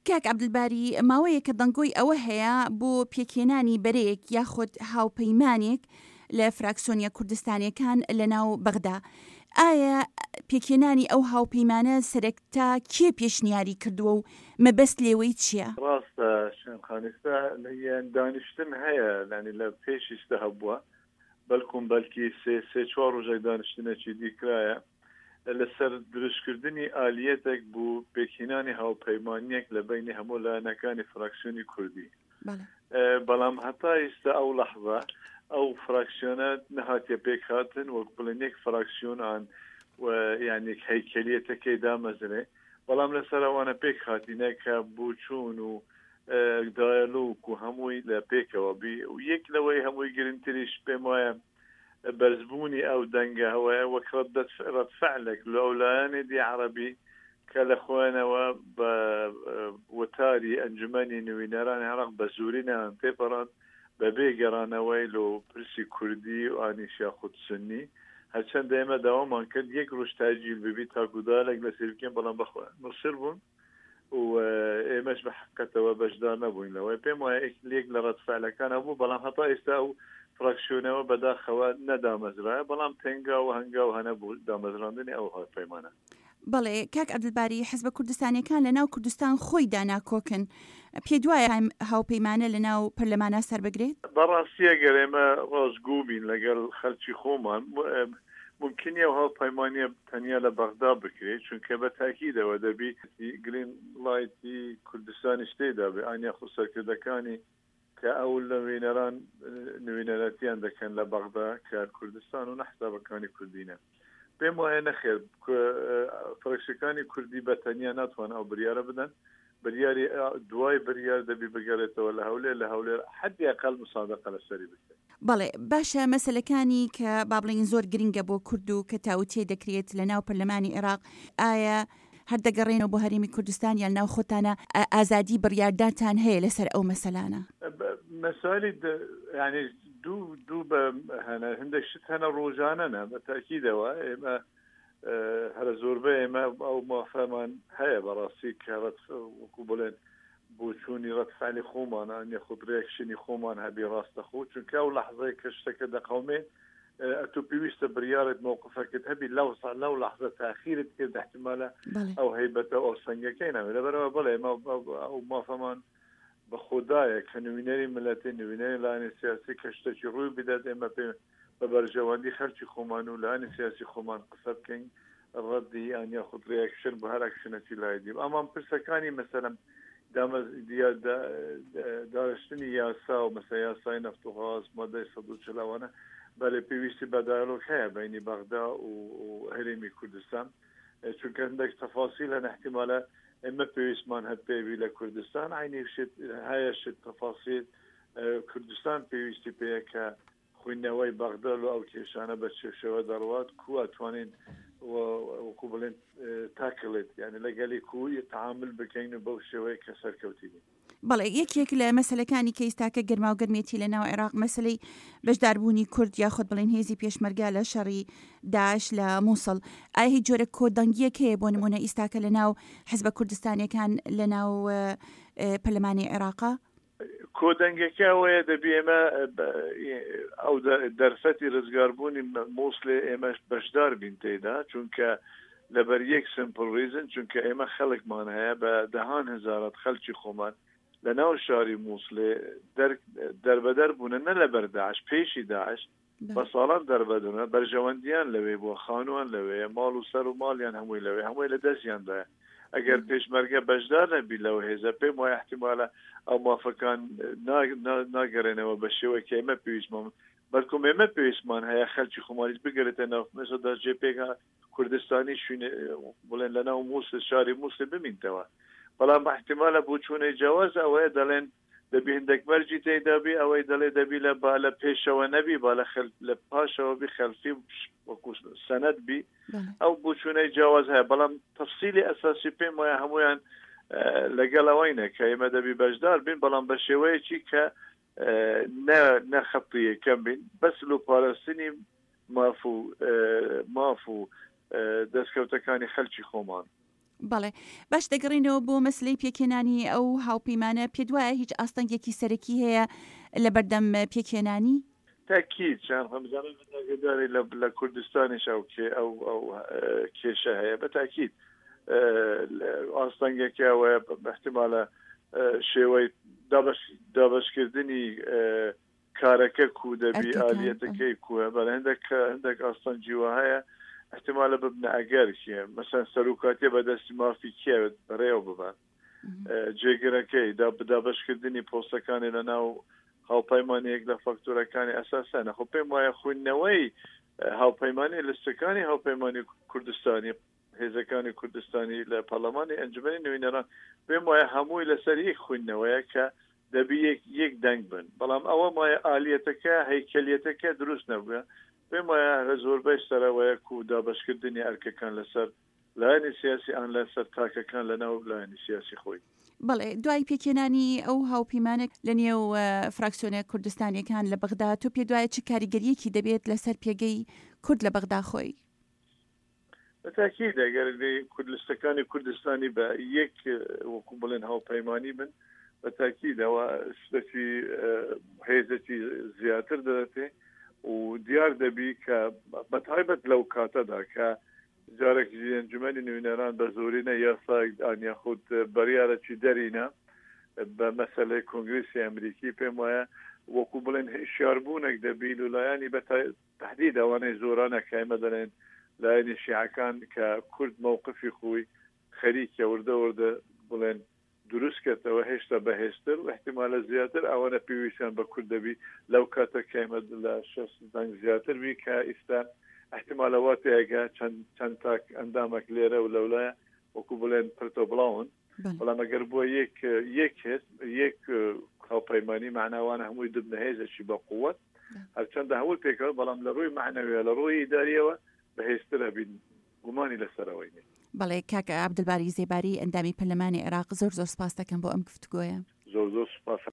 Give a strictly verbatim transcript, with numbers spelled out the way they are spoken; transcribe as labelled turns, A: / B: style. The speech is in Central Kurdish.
A: کاک عەبدولباری، ماوەیەکە دەنگۆی ئەوە هەیە بۆ پێکهێنانی بەرەیەک یاخود هاوپەیمانێک لە فراکسۆنیە کوردستانیەکان لەناو بەغدا، ئایا پێکهێنانی ئەو هاوپەیمانە سەرەتا کێ پێشنیاری کردووە و مەبەست لێوەی چییە؟
B: ڕاستە شێن خان، ئێستا دانیشتن هەیە، یانی لە پێش ئیستا هەبووە، بەلکم بەلکی سێ سێ چوار ڕۆژێک دانیشتنێکی دی کرایە لەسەر دروستکردنی ئالیەتێک بۆ پێکهێنانی هاوپەیمانیەک لە بەینی هەموو لایەنەکانی فراکسیۆنی کوردی. بەڵام هەتا ئیستا ئەو لەحزە ئەو فراکسیۆنە نەهاتیە پێکهاتن، وەک بڵێن یەک فراکسیۆن ئان و یان یەک هەیکەلیەتەکەی دامەزرێ، بەڵام لەسەر ئەوانە پێکهاتینە کە بۆچوون و دایەلۆگ و هەمووی لە پێکەوە بی. و یەک لەوەی هەمووی گرنگتریش پێم وایە بەرزبوونی ئەو دەنگە هەوایە وەک ڕەد فعلێک لە ئەو لایەنی دی عەرەبی کە لە خۆیانەوە بە وتاری ئەنجومەنی نوینەرانی عێراق بە زۆری نایان تێپەڕاند بەبێ گەڕانەوەی لۆ پرسی کوردی و ئانیش یاخود سوننی. هەرچەندە ئێمە داوامان کرد یەک ڕۆژ تاجیل ببی تاکو دالێک لەسەر بکەین، بەڵام بەخۆیان مصر بوون و ئێمەش بە حقیقەتەوە بەشدار نەبووین لەوەی. پێم وایە یەک لە ڕەد فعلەکان هەبوو، بەڵام هەتا ئێستا ئەو فراکسیۆنەوە بەداخەوە نەدامەزرایە، بەڵام تێنگاو و هەنگاو هەنە بوو دامەزراندنی ئەو هاوپەیمانە.
A: بەڵێ کاک عەبدولباری، حزبە کوردستانیەکان لە ناو کوردستان خۆیدا ناکۆکن، پێت وایە هاوپەیمانە لە ناو پەرلەمانا سەربگرێت؟
B: بەڕاستی ئەگەر ئێمە ڕاستگۆ بین لەگەڵ خەلکی خۆمان، ممکن نیە ئەو هاوپەیمانیە تەنیا لە بەغدا بکرێت، چونکە بە تاکیدەوە دەبی گرین لایتی کوردستانیش تێدا بێ، ئان یاخود سەرکردەکانی کە ئەو نوێنەران نوێنەرەتیان دەکەن لە بەغدا کە کوردستان و نەحسابەکانی کوردینە. پێم وایە نەخێر، فراکسیەکانی کوردی بە تەنیا ناتوان ئەو بریارە بدەن. بریاری دوای بریار دەبی بگەڕێتەوە لە هەولێر، لە هەولێر حەدی ئەقل مسادقە لەسەری بکرێت.
A: بەڵێ باشە، مەسەلەکانی کە با بڵێین زۆر گرنگە بۆ کورد و کە تاوتێ دەکرێت لە ناو پەرلەمانی عێراق، ئایا هەر دەگەڕێنەوە بۆ هەرێمی کوردستان یان ناو خۆتانە ئازادی بڕیاردانتان هەیە لەسەر ئەو مەسەلانە؟
B: مەسالی یعنی دوو دوو بە هەنە هەندێک شت هەنە ڕۆژانەنە بە تاکیدەوە ئێمە هەرە زۆربەی ئێمە ئەو مافەمان هەیە بەڕاستی کە وەکو بڵێن بۆچوونی ڕەتفعلی خۆمان ئان یاخود ڕێکشنی خۆمان هەبی ڕاستەخۆ، چونکە ئەو لەحظەیە کە شتەکە دەقەومێ ئەتۆ پێویستە بریارت مەوقفەکەت هەبی لەو لەو لەحظە تاخیرت کرد احتمالە ئەو هەیبەتە ئەو سەنگەکەی ناوێت. لەبەرەوە بڵێ ئێمە ئەو مافەمان بە خودایە کە نوێنەری ملەتی نوێنەری لایەنی سیاسی کە شتێکی ڕووی بدات ئێمە پێ بە بەرژەوەندی خەلکی خۆمان و لایەنی سیاسی خۆمان قسە بکەین، ڕەدی یان یاخود ڕیاکشن بۆ هەر ئەکشنەکی لای دی. ئەمان پرسەکانی مەسەلەن دارشتنی یاسا و مەسە یاسای نەفت و غاز مادەی سەد و چل ئەوانە بەلێ پێویستی بە دایالۆگ هەیە بینی بەغدا و هەرێمی کوردستان، چونکە هەندێک تەفاسیل هەن احتیمالە ئێمە پێویستمان هەر پێوی لە کوردستان عینی شت هەیە شت تەفاسیل کوردستان پێویستی پێیە کە خوێندنەوەی بەغدا لۆ ئەو کێشانە بە چێشەوە دەڕوات کو ئەتوانین وەکو بڵێن تاکڵێت یعنی لەگەلی کو تعامل بکەین و بەو شێوەیە کە سەرکەوتی بین.
A: بەڵێ یەکێک لە مەسلەکانی کە ئێستاکە گەرماوگەرمێتی لە ناو عێراق مەسلەی بەشداربوونی کورد یاخود بڵێن هێزی پێشمەرگە لە شەڕی داعش لە مووسڵ، ئایا هیچ جۆرە کۆدەنگیەک هەیە بۆ نمونە ئیستاکە لە ناو حزبە کوردستانیەکان لە ناو پەرلەمانی عێراقا؟
B: کۆدەنگەکە ئەوەیە دەبی ئێمە ئەو دەرفەتی ڕزگاربوونی مووسڵێ ئێمەش بەشدار بین تێدا، چونکە لەبەر یەک سمپل ریزن، چونکە ئێمە خەڵکمان هەیە بە دەهان هەزارات خەڵکی خۆمان لە ناو شاری مووسڵێ دەربەدەر بوونە، نە لەبەر داعش، پێشی داعش بە ساڵان دەربەدونە، بەرژەوەندیان لەوێ بووە، خانووان لەوێ، ماڵ و سەر و ماڵیان هەمووی لەوێ، هەمووی لە دەستیاندایە. ئەگەر پێشمەرگە بەشدار نەبی لەو هێزە پێم وایە احتیمالە ئەو مافەکان ناگەڕێنەوە بە شێوەی کە ئێمە پێویستمان، بەڵکم ئێمە پێویستمان هەیە خەلکی خۆمانیش بگەرێتە ناو مەسەدا جێ پێک کوردستانی شوێن بڵێن لە ناو مووسڵ شاری مووسڵ بمینتەوە. بەڵام احتیمالە بۆچوونەی جیاواز ئەوەیە دەڵێن دەبی هەندێک مەرجی تێدا بی، ئەوەی دەڵێ دەبی لە با لە پێشەوە نەبی، با لە خەل لە پاشەوە بی، خەلفی وەکو سەنەد بی، ئەو بۆچوونەی جیاواز هەیە. بەڵام تەفسیلی ئەساسی پێم وایە هەمویان لەگەڵ ئەوەینە کە ئێمە دەبی بەشدار بین، بەڵام بە شێوەیەکی کە نە خەتی یەکەم بین، بەس لۆ پاراستنی ماف و ماف و دەستکەوتەکانی خەلکی خۆمان.
A: بەڵێ باش، دەگەڕینەوە بۆ مەسلەی پێکهێنانی ئەو هاوپەیمانە، پێت وایە هیچ ئاستەنگێکی سەرەکی هەیە لە بەردەم پێکهێنانی؟
B: تاکید چیان خۆم بزانم من ئاگاداری لە لە کوردستانیش ئەو کێ ئەو ئەو کێشە هەیە بە تاکید ئاستەنگێکی ئەوەیە احتمالە شێوەی دابەش دابەشکردنی کارەکە کو دەبی ئالیەتەکەی کوە بەڵێ هەندێک هەندێک ئاستەنگی وا هەیە احتمالە ببنە ئەگەر کێ مەسەن سەرۆکاتیە بەدەستی مافی کێ بەڕێوە ببات جێگرەکەی دابەشکردنی پۆستەکانی لە ناو هاوپەیمانیەک لە فاکتۆرەکانی ئەساسانە خۆ پێم وایە خوێندنەوەی هاوپەیمانی لستەکانی هاوپەیمانی کوردستانی هێزەکانی کوردستانی لە پەرلەمانی ئەنجومەنی نوێنەران پێم وایە هەمووی لەسەر یەک خوێندنەوەیە کە دەبی یەک یەک دەنگ بن بەڵام ئەوە مایە ئالیەتەکە هەیکەلیەتەکە دروست نەبووە پێم وایە لە زۆربەی سەرەوەیە کو دابەشکردنی ئەرکەکان لەسەر لایەنی سیاسی ئان لەسەر تاکەکان لەناو لایەنی سیاسی خۆی.
A: بەڵێ، دوای پێکهێنانی ئەو هاوپەیمانە لە نێو فراکسیۆنە کوردستانییەکان لە بەغدا، تۆ پێت وایە چ کاریگەرییەکی دەبێت لەسەر پێگەی کورد لە بەغدا خۆی؟
B: بە تاکید ئەگەر لستەکانی کوردستانی بە یەک وەکو بڵێن هاوپەیمانی بن بە تاکید ئەوە شتێکی هێزێکی زیاتر دەدەتێ و دیار دەبی کە بە تایبەت لەو کاتەدا کە جارێک ئەنجومەنی نوێنەران بە زۆرینە یاسایەک ئان یاخود بڕیارێکی دەرینە بە مەسەلەی کۆنگرسی ئەمریکی پێم وایە وەکو بڵێن هشیاربوونێک دەبی و لایەنی بە تهدید ئەوانەی زۆرانە کە ئێمە دەڵێن لایەنی شیعەکان کە کورد مەوقفی خۆی خەریکە وردە وردە بڵێن دروست کەتەوە هێشتا بەهێزتر و احتیمالە زیاتر ئەوانە پێویستیان بە کورد دەبی لەو کاتە کە ئێمە لە شەست دەنگ زیاتر بی کە ئیستا احتیمالە وا تێگە چەند چەند تاک ئەندامێک لێرە و لەولایە وەکو بڵێن پرتە بڵاون بەڵام ئەگەر بووە یەک یەک هێز یەک هاوپەیمانی معناوانە هەمووی دبنە هێزێکی بە قووەت هەرچەندە هەمووی پێکەوە بەڵام لە ڕووی معنەویە لە ڕووی ئیداریەوە بەهێزترە بین گومانی لەسەرەوەی نیە.
A: بەڵێ کاک عەبدولباری زێباری ئەندامی پەرلەمانی عێراق زۆر زۆر سپاس دەکەم بۆ ئەم گفتوگۆیە.
B: زۆر زۆر سپاس.